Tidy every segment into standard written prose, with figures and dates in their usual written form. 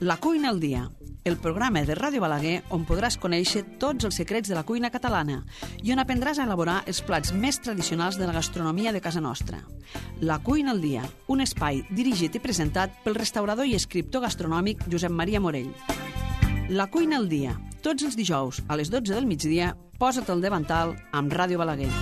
La cuina al dia, el programa de Ràdio Balaguer on podràs conèixer tots els secrets de la cuina catalana i on aprendràs a elaborar els plats més tradicionals de la gastronomia de casa nostra. La cuina al dia, un espai dirigit i presentat pel restaurador i escriptor gastronòmic Josep Maria Morell. La cuina al dia, tots els dijous a les 12 del migdia, posa't al davantal amb Ràdio Balaguer.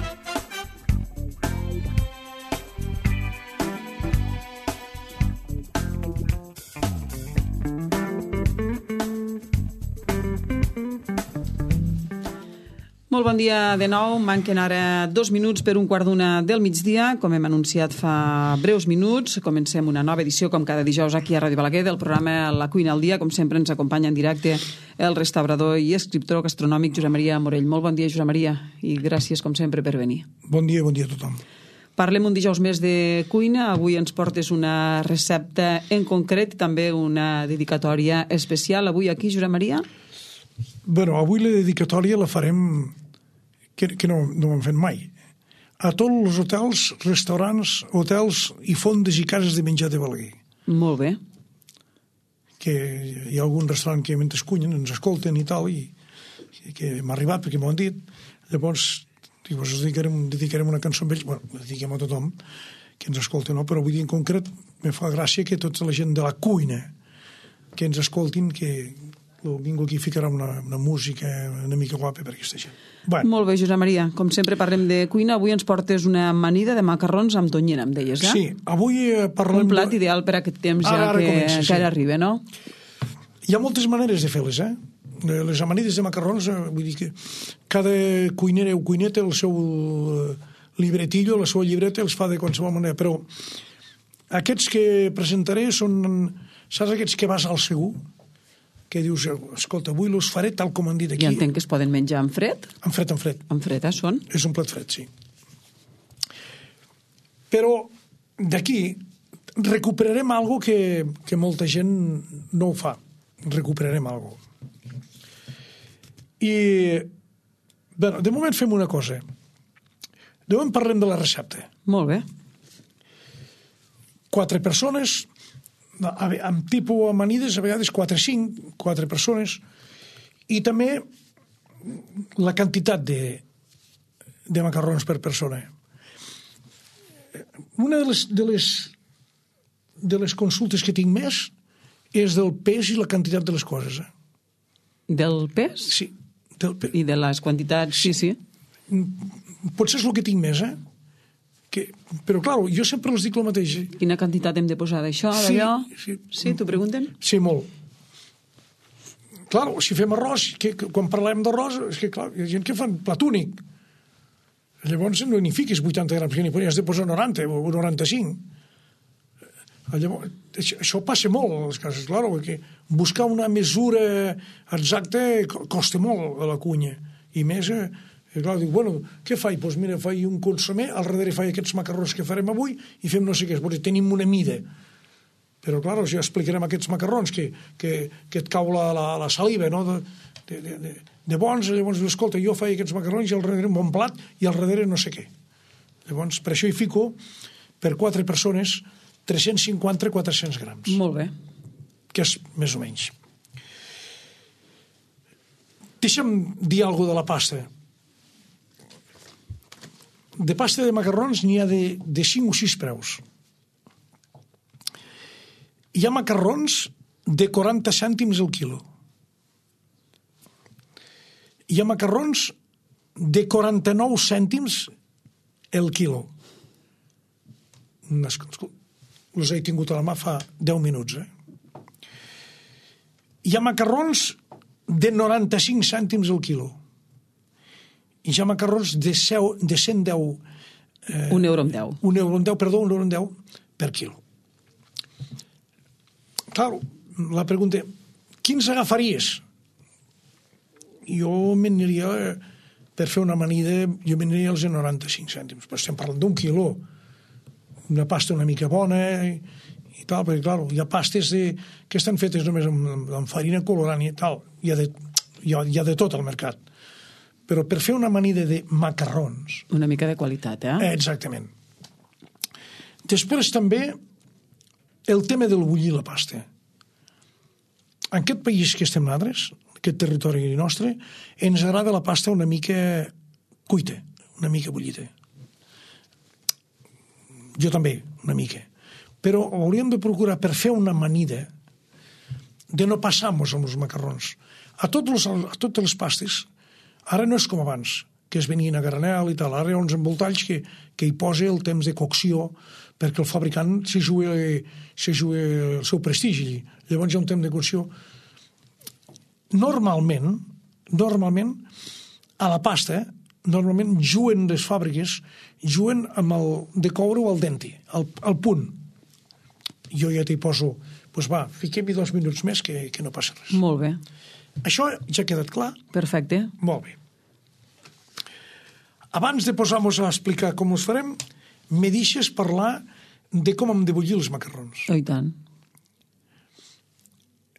Molt bon dia de nou. Manquen ara 2 minuts per 1:15 del migdia. Com hem anunciat fa breus minuts, comencem una nova edició, com cada dijous, aquí a Ràdio Balaguer, del programa La cuina al dia. Com sempre, ens acompanya en directe el restaurador i escriptor gastronòmic Josep Maria Morell. Molt bon dia, Josep Maria, i gràcies, com sempre, per venir. Bon dia a tothom. Parlem un dijous més de cuina. Avui ens portes una recepta en concret, també una dedicatòria especial. Avui aquí, Josep Maria? Bueno, avui la dedicatòria la farem, que no ho hem fet mai, a tots els hotels, restaurants, hotels i fondes i cases de menjar de Balaguer. Molt bé. Que hi ha algun restaurant que mentre cunyen ens escolten i tal, i que m'ha arribat perquè m'ho han dit. Llavors, dedicarem una cançó amb ells, bueno, la dediquem a tothom que ens escolta, no? Però avui en concret me fa gràcia que tota la gent de la cuina que ens escoltin, que ningú aquí ficarà una música una mica guapa per aquesta gent. Bueno. Molt bé, Josep Maria. Com sempre parlem de cuina. Avui ens portes una amanida de macarrons amb tonyina, em deies, eh? Sí, avui parlem... Un plat ideal per a aquest temps que ara arriba, no? Hi ha moltes maneres de fer-les, eh? Les amanides de macarrons, vull dir que cada cuinera o cuiner té el seu libretillo, la seva llibreta, els fa de qualsevol manera, però aquests que presentaré són, saps aquests que vas al segur? Que dius, escolta, avui els faré tal com han dit aquí. I entenc que es poden menjar en fred? En fred. En fred, són? És un plat fred, sí. Però d'aquí recuperarem algo que molta gent no ho fa. Recuperarem algo. I, bueno, de moment fem una cosa. De moment parlem de la recepta. Molt bé. 4 persones... amb tipus amanides, a vegades 4 persones, i també la quantitat de macarrons per persona. Una de les consultes que tinc més és del pes i la quantitat de les coses. Del pes? Sí. Del pes. I de les quantitats, sí. Potser és el que tinc més, però, clar, jo sempre els dic el mateix. Quina quantitat hem de posar d'això, d'allò? Sí, t'ho pregunten? Sí, molt. Clar, si fem arròs, quan parlem d'arròs, és que, clar, hi ha gent que fan plat únic. Llavors no n'hi fiquis 80 grams, que n'hi has de posar 90 o 95. Llavors, això passa molt a les cases, clar, perquè buscar una mesura exacta costa molt a la cuina. I més... I clar, dic, bueno, què faig? Doncs mira, faig un consomé, al darrere faig aquests macarrons que farem avui i fem no sé què, perquè tenim una mida. Però, clar, ja explicarem aquests macarrons que et cau la saliva, no?, de bons. Llavors, escolta, jo faig aquests macarrons i al darrere un bon plat i al darrere no sé què. Llavors, per això hi fico, per 4 persones, 350-400 grams. Molt bé. Que és més o menys. Deixa'm dir alguna cosa de la pasta. De pasta de macarrons n'hi ha de 5 o 6 preus. Hi ha macarrons de 40 cèntims el quilo. Hi ha macarrons de 49 cèntims el quilo. Els he tingut a la mà fa 10 minuts. Hi ha macarrons de 95 cèntims el quilo. I hi ha macarrons de 110... €1 amb 10. €1 per quilo. Clar, la pregunta, quins agafaries? Jo m'aniria, per fer una amanida, jo m'aniria als 95 cèntims. Però estem parlant d'un quilo. Una pasta una mica bona i tal, perquè, clar, hi ha pastes que estan fetes només amb farina colorant i tal. Hi ha de tot al mercat. Però per fer una amanida de macarrons... Una mica de qualitat, Exactament. Després també el tema del bullir la pasta. en aquest país que estem nosaltres, aquest territori nostre, ens agrada la pasta una mica cuita, una mica bullida. Jo també, una mica. Però hauríem de procurar, per fer una amanida, de no passar-nos amb els macarrons. A totes les pastes, ara no és com abans, que es venien a granel i tal. Ara hi ha uns envoltalls que hi posa el temps de cocció perquè el fabricant se juga el seu prestigi. Llavors hi ha un temps de cocció. Normalment, a la pasta, normalment juguen les fàbriques, juguen amb el de coure-ho al denti, al punt. Jo ja t'hi poso, doncs va, fiquem-hi 2 minuts més que no passa res. Molt bé. Això ja ha quedat clar? Perfecte. Molt bé. Abans de posar-nos a explicar com els farem, me deixes parlar de com hem de bullir els macarrons. Oh, i tant.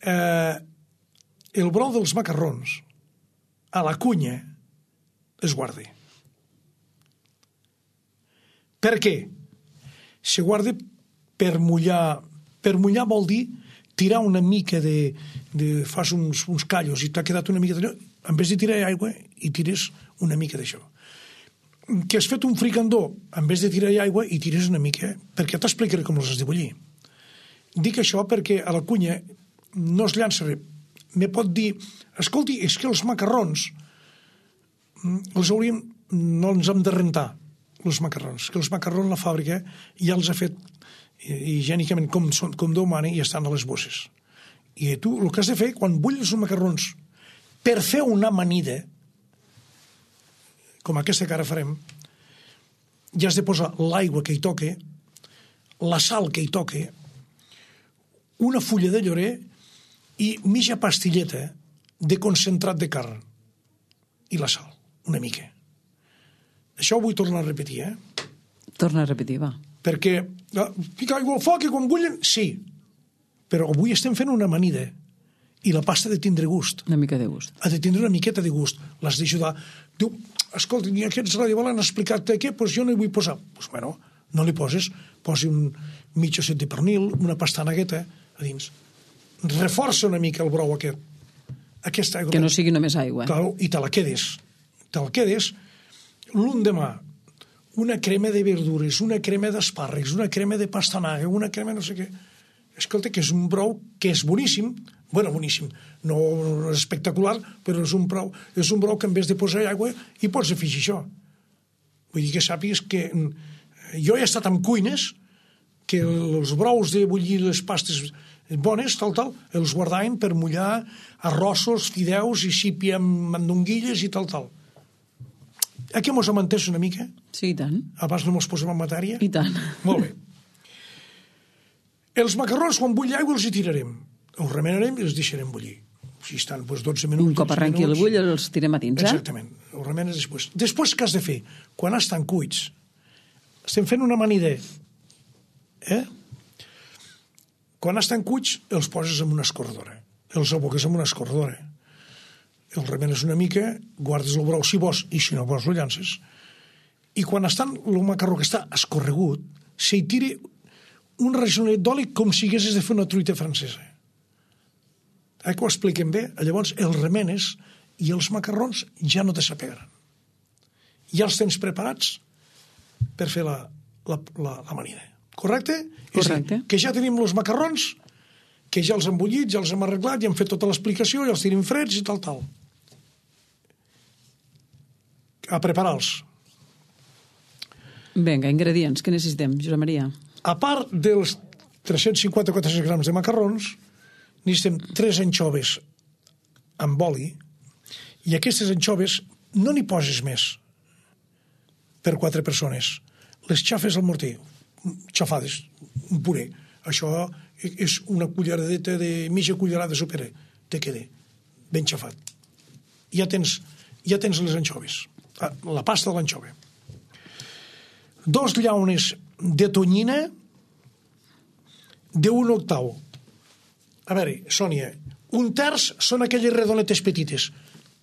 El brou dels macarrons a la cunya es guarda. Per què? Se guarda per mullar. Per mullar vol dir tirar una mica fas uns callos i t'ha quedat una mica d'allò, en vez de tirar aigua i tires una mica d'això. Que has fet un fricandó, en vez de tirar aigua i tires una mica, perquè t'explicaré com els has de bullir. Dic això perquè a la cunya no es llança res. Me pot dir, escolti, és que els macarrons no ens hem de rentar, els macarrons, que els macarrons la fàbrica ja els ha fet higiènicament com Déu mana i estan a les bosses. I tu el que has de fer, quan bullis els macarrons per fer una amanida, com aquesta que ara farem, ja has de posar l'aigua que hi toque, la sal que hi toque, una fulla de llorer i mitja pastilleta de concentrat de carn i la sal, una mica. Això ho vull tornar a repetir, Torna a repetir, va. Perquè ficar aigua al foc i quan bullen, sí, però avui estem fent una amanida i la pasta ha de tindre gust. Una mica de gust. Ha de tindre una miqueta de gust. L'has d'ajudar. Diu, escolta, ni aquests radioval han explicat què? Doncs jo no hi vull posar. Doncs bueno, no li poses. Posi un mig osset de pernil, una pastanagueta a dins. Reforça una mica el brou aquest. Aquesta aigua. Que no sigui només aigua. Clar, i te la quedes. Te la quedes l'endemà. Una crema de verdures, una crema d'espàrrecs, una crema de pastanaga, una crema no sé què. Escolta, que és un brou que és boníssim. Bueno, boníssim. No és espectacular, però és un brou que en vez de posar aigua hi pots afegir això. Vull dir que sàpigues que jo he estat en cuines que els brous de bullir les pastes bones, tal, els guardaven per mullar arrossos, fideus i sípia amb mandonguilles i tal. Aquí mos hem entès una mica? Sí, i tant. Abans no mos posem en matèria? I tant. Molt bé. Els macarrons, quan bulli aigua, els hi tirarem. Els remenarem i els deixarem bullir. Si estan 12 minuts... Un cop arrenqui el bull, els tirem a dins, Exactament. Els remenes després. Després, què has de fer? Quan estan cuits, estem fent una amanida. Quan estan cuits, els poses en una escorredora. Els aboques en una escorredora. Els remenes una mica, guardes el brou si vols, i si no vols, el llances. I quan estan el macarró que està escorregut, s'hi tira un rajonet d'oli com si haguessis de fer una truita francesa. Que ho expliquem bé? Llavors, els remenes i els macarrons ja no te s'apegaran. Ja els tens preparats per fer l'amanida. Correcte? Correcte. Que ja tenim els macarrons, que ja els hem bullit, ja els hem arreglat, ja hem fet tota l'explicació, ja els tenim freds i tal. A preparar-los. Vinga, ingredients, que necessitem, Josep Maria? A part dels 350-400 grams de macarrons, necessitem 3 anxoves amb oli, i aquestes anxoves no n'hi poses més per 4 persones. Les xafes al morter, xafades, un puré. Això és una culleradeta de mitja cullerada de sopera. Te queda ben xafat. Ja tens les anxoves. La pasta de l'anxova. 2 llaunes de tonyina d'1 octau. A veure, Sònia, 1/3 són aquelles redonetes petites,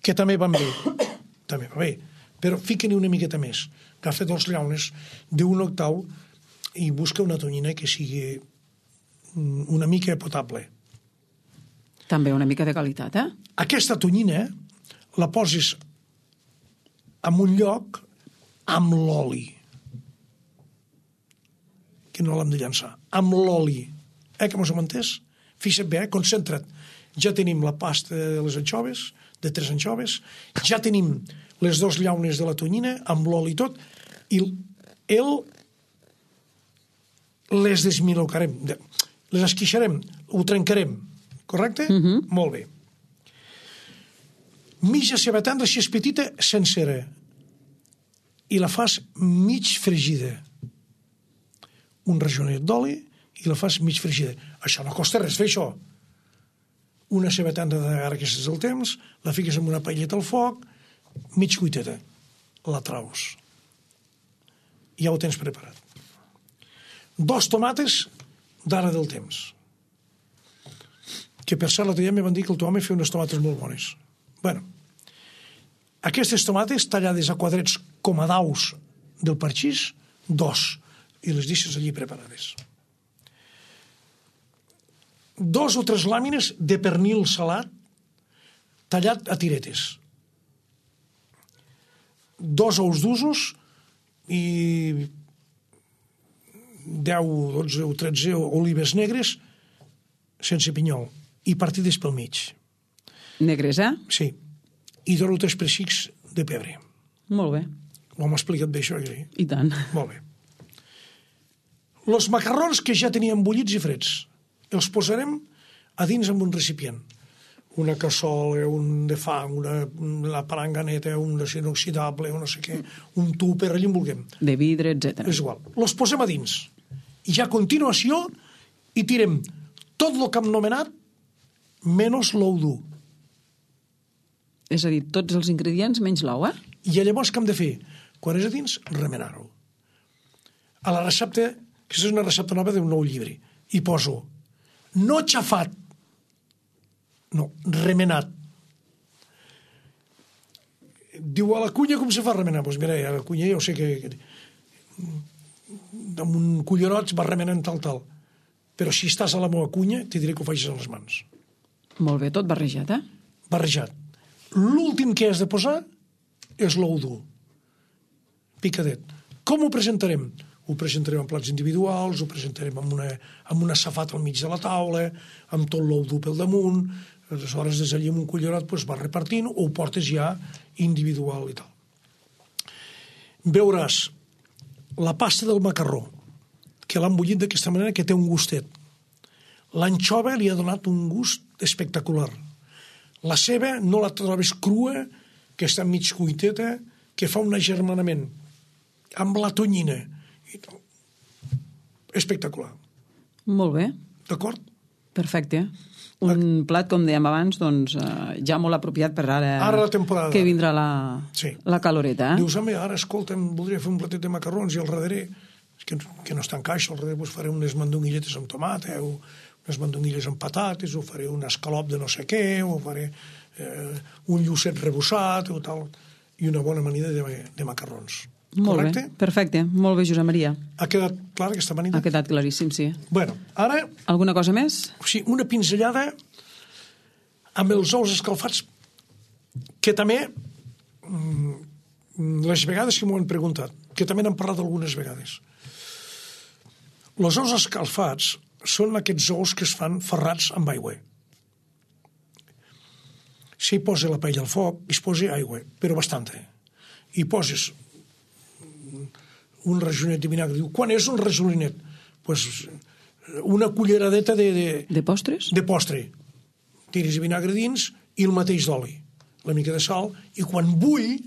que també van bé. També va bé. Però fica-n'hi una miqueta més. Agafa 2 llaunes d'1 octau i busca una tonyina que sigui una mica potable. També una mica de qualitat, eh? Aquesta tonyina la posis en un lloc amb l'oli, que no l'hem de llançar, amb l'oli. Que mos hem entès? Fixa't bé, concentra't. Ja tenim la pasta de les anxoves, de 3 anxoves, ja tenim les 2 llaunes de la tonyina, amb l'oli i tot, i les desmilocarem, les esquixarem, ho trencarem, correcte? Molt bé. Mitja cebetanda, si és petita, sencera, i la fas mig fregida. Un rajonet d'oli i la fas mig fregida. Això no costa res fer, això. Una cebetanda ara que és el temps, la fiques en una paelleta al foc, mig cuiteta, la traus. Ja ho tens preparat. 2 tomates d'ara del temps. Que per cert, l'altre dia me van dir que el teu home feia unes tomates molt bones. Bueno, aquestes tomates tallades a quadrets com a daus del parxís, 2, i les deixes allí preparades. 2 o 3 làmines de pernil salat tallat a tiretes. 2 ous d'usos i 10, 12 o 13 olives negres sense pinyol i partides pel mig. Negres, eh? Sí. I 2 o 3 pessics de pebre. Molt bé. Ho hem explicat bé, això, que I tant. Molt bé. Els macarrons que ja teníem bullits i freds els posarem a dins amb un recipient. Una cassola, un de fang, una paranganeta, un acer inoxidable, un no sé què, un tupper, allà en vulguem. De vidre, etc. És igual. Els posem a dins. I ja a continuació hi tirem tot el que hem nomenat menys l'ou dur. És a dir, tots els ingredients menys l'ou, eh? I llavors què hem de fer? Quan és a dins, remenar-ho. A la recepta, que és una recepta nova d'un nou llibre, hi poso no xafat, no, remenat. Diu, a la cunya com se fa remenar? Doncs mira, a la cunya jo sé que amb un cullerot va remenant tal. Però si estàs a la meva cunya, t'hi diré que ho facis a les mans. Molt bé, tot barrejat, eh? Barrejat. L'últim que has de posar és l'ou dur. Picadet. Com ho presentarem? Ho presentarem en plats individuals, ho presentarem amb una safata al mig de la taula, amb tot l'ou dur pel damunt, aleshores des d'allí amb un cullerot doncs vas repartint o ho portes ja individual i tal. Veuràs la pasta del macarró, que l'han bullit d'aquesta manera, que té un gustet. L'anxova li ha donat un gust espectacular. La ceba no la trobes crua, que està mig cuiteta, que fa un agermanament amb la tonyina. Espectacular. Molt bé. D'acord? Perfecte. Un plat, com dèiem abans, doncs, ja molt apropiat per ara la temporada. Que vindrà Sí. la caloreta. Dius, home, ara, escolta'm, voldria fer un platet de macarrons i al darrere, que no està en caixa, al darrere faré unes mandonguilletes amb tomata, o unes mandonguilles amb patates, o faré un escalop de no sé què, o faré un llucet rebussat, o tal, i una bona amanida de macarrons. Molt Correcte? bé, perfecte. Molt bé, Josep Maria. Ha quedat clara aquesta amanida? Ha quedat claríssim, sí. Bueno, ara... Alguna cosa més? Sí, una pinzellada amb els ous escalfats, que també, les vegades que m'ho han preguntat, que també n'han parlat algunes vegades. Els ous escalfats són aquests ous que es fan ferrats amb aigua. Si hi posa la paella al foc, hi posa aigua, però bastanta. Hi poses un rajonet de vinagre. Diu, quan és un rajonet? Pues una culleradeta de postres? De postre. Tires vinagre dins i el mateix d'oli. La mica de sal. I quan bull,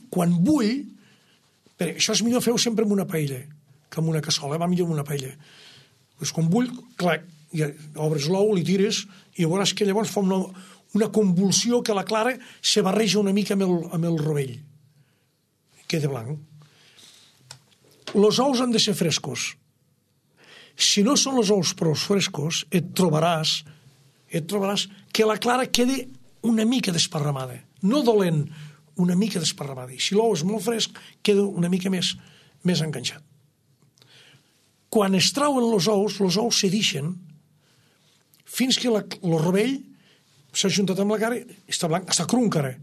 però això és millor fer-ho sempre amb una paella que amb una cassola, va millor amb una paella. Pues quan bull, clac, ja obres l'ou, li tires, i veuràs que llavors fa una convulsió que la clara se barreja una mica amb el rovell. Queda blanc. Els ous han de ser frescos. Si no són els ous prou frescos, et trobaràs que la clara quedi una mica desparramada. No dolent, una mica desparramada. I si l'ou és molt fresc, queda una mica més enganxat. Quan es trauen els ous se deixen fins que el rovell s'ha juntat amb la cara i està blanc, està cru encara.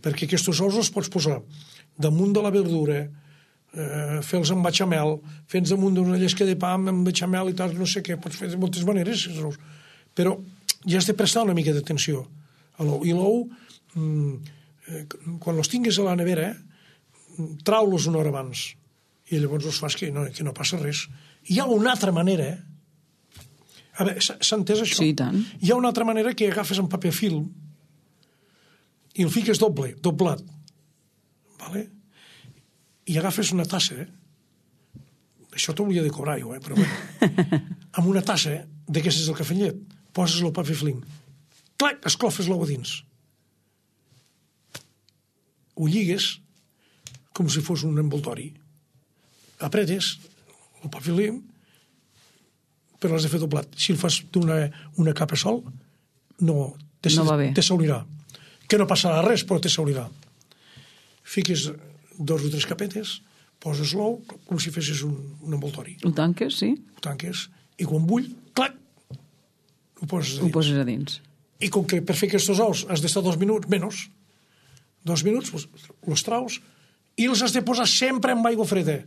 Perquè aquests ous els pots posar damunt de la verdura, fer-los amb bechamel, fer-los damunt d'una llesca de pa amb bechamel i tal, no sé què, pots fer de moltes maneres, però ja has de prestar una mica d'atenció a l'ou. I l'ou, quan els tingues a la nevera, trau-los una hora abans i llavors els fas que no passa res. Hi ha una altra manera, a veure, s'ha entès això? Sí, tant. Hi ha una altra manera que agafes en paper film i el fiques doblat, vale? I agafes una tassa, això t'ho hauria de cobrar jo, però bueno, amb una tassa d'aquestes del cafè amb llet, poses el paper film, clac, esclofes l'ou a dins, ho lligues com si fos un envoltori, apretes el paper film, però l'has de fer doblat. Si el fas d'una capa sol, no va bé. Te s'oblirà. Que no passarà res, però te s'oblirà. Fiques 2 o 3 capetes, poses l'ou com si fessis un envoltori. Ho tanques, sí? Ho tanques, i quan bull, clac, ho poses a dins. Ho poses a dins. I com que per fer aquests ous has d'estar 2 minuts, menys, 2 minuts, els traus, i els has de posar sempre amb aigua freda.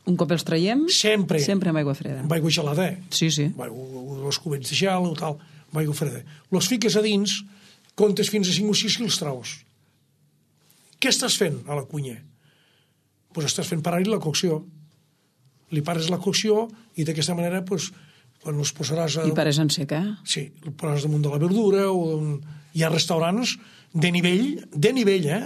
Un cop els traiem? Sempre. Sempre amb aigua freda. Amb aigua gelada. Sí, sí. Els cubets de gel o tal, amb aigua freda. Els fiques a dins, comptes fins a 5 o 6 i els traus. Què estàs fent a la cuina? Pues estàs fent parar-hi la cocció. Li pares la cocció i d'aquesta manera, pues, quan els posaràs... I pares en sec, eh? Sí, el posaràs damunt de la verdura o... Hi ha restaurants de nivell, eh?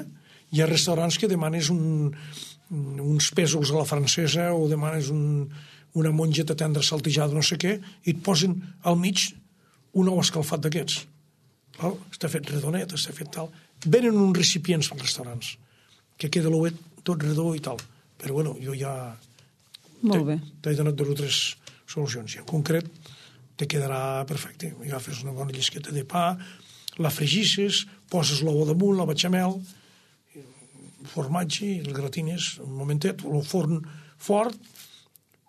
Hi ha restaurants que demanes uns pèsols a la francesa o demanes una mongeta tendra saltejada, no sé què, i et posen al mig un ou escalfat d'aquests. Està fet redonet, està fet tal. Venen uns recipients als restaurants, que queda l'ouet tot redó i tal. Però bueno, jo ja... Molt bé. T'he donat 2 o 3 solucions. I en concret te quedarà perfecte. Agafes una bona llesqueta de pa, la fregisses, poses l'ou damunt, la bechamel, formatge, i el gratines un momentet, el forn fort,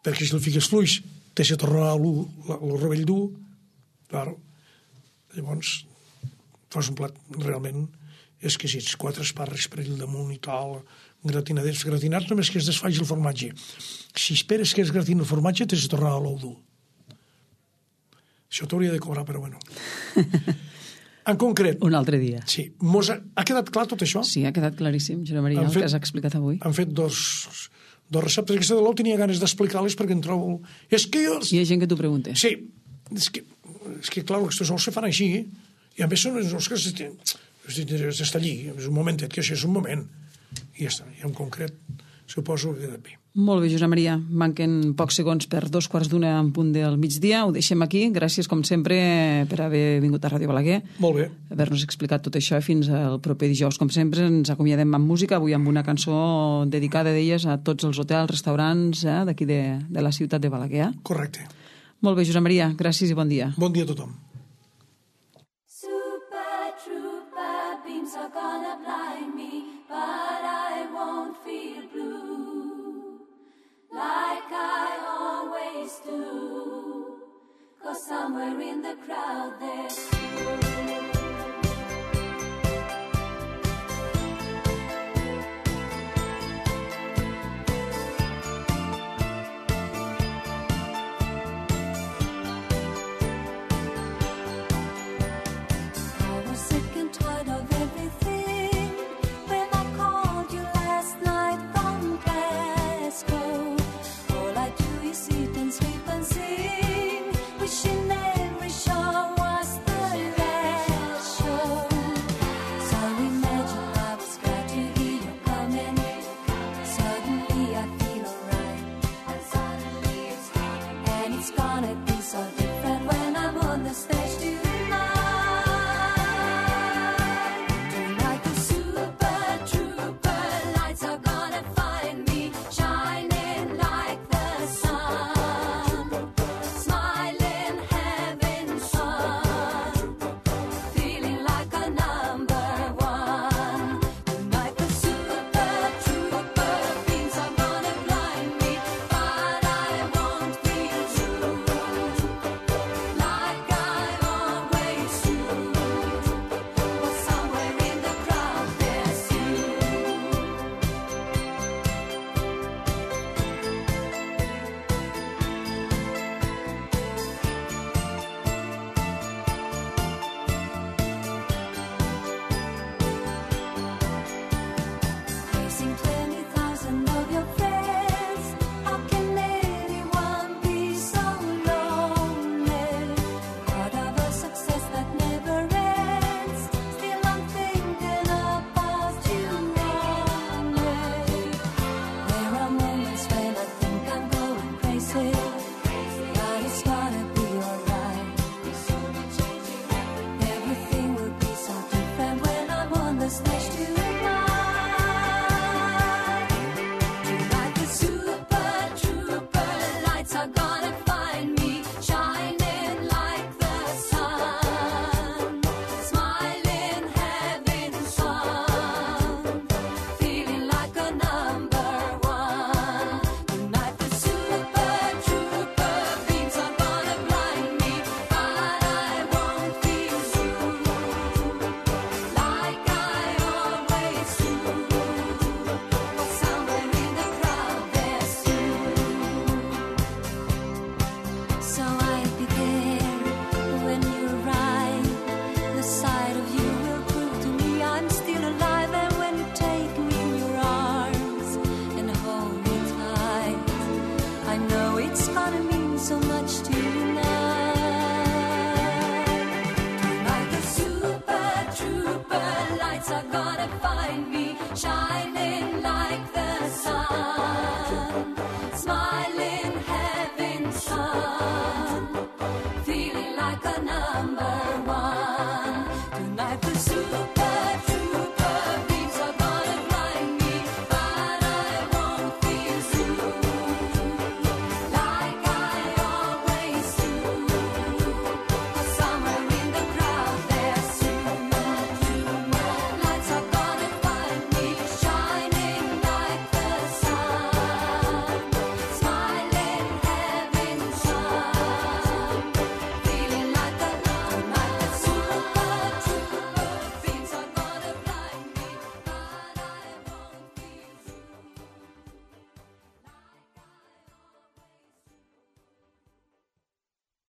perquè si el fiques fluix te se tornarà el rovell dur, claro. Llavors fas un plat realment exquisits, 4 espàrrecs per allà damunt i tal, gratinadets, gratinats només que es desfaig el formatge. Si esperes que es gratin el formatge, te se tornarà l'ou dur. Això t'hauria de cobrar, però bueno. En concret... Un altre dia. Sí. Ha quedat clar tot això? Sí, ha quedat claríssim, Josep Maria, el que has explicat avui. Han fet dos receptes. Aquesta de l'ou tenia ganes d'explicar-les perquè em trobo... És que jo... Hi ha gent que t'ho pregunta. Sí. És que clar, aquests ous se fan així, i a més són els ous que s'està allí, és un momentet, que això és un moment. I ja està. I en concret suposo que queda bé. Molt bé, Josep Maria. Manquen pocs segons per 2:15 en punt del migdia. Ho deixem aquí. Gràcies, com sempre, per haver vingut a Ràdio Balaguer. Molt bé. Haver-nos explicat tot això fins al proper dijous. Com sempre, ens acomiadem amb música, avui amb una cançó dedicada d'elles a tots els hotels, restaurants d'aquí de la ciutat de Balaguer. Correcte. Molt bé, Josep Maria. Gràcies i bon dia. Bon dia a tothom. Super trooper beams are gonna blind me, but I won't feel blue like I always do, 'cause somewhere in the crowd there's you. It's gonna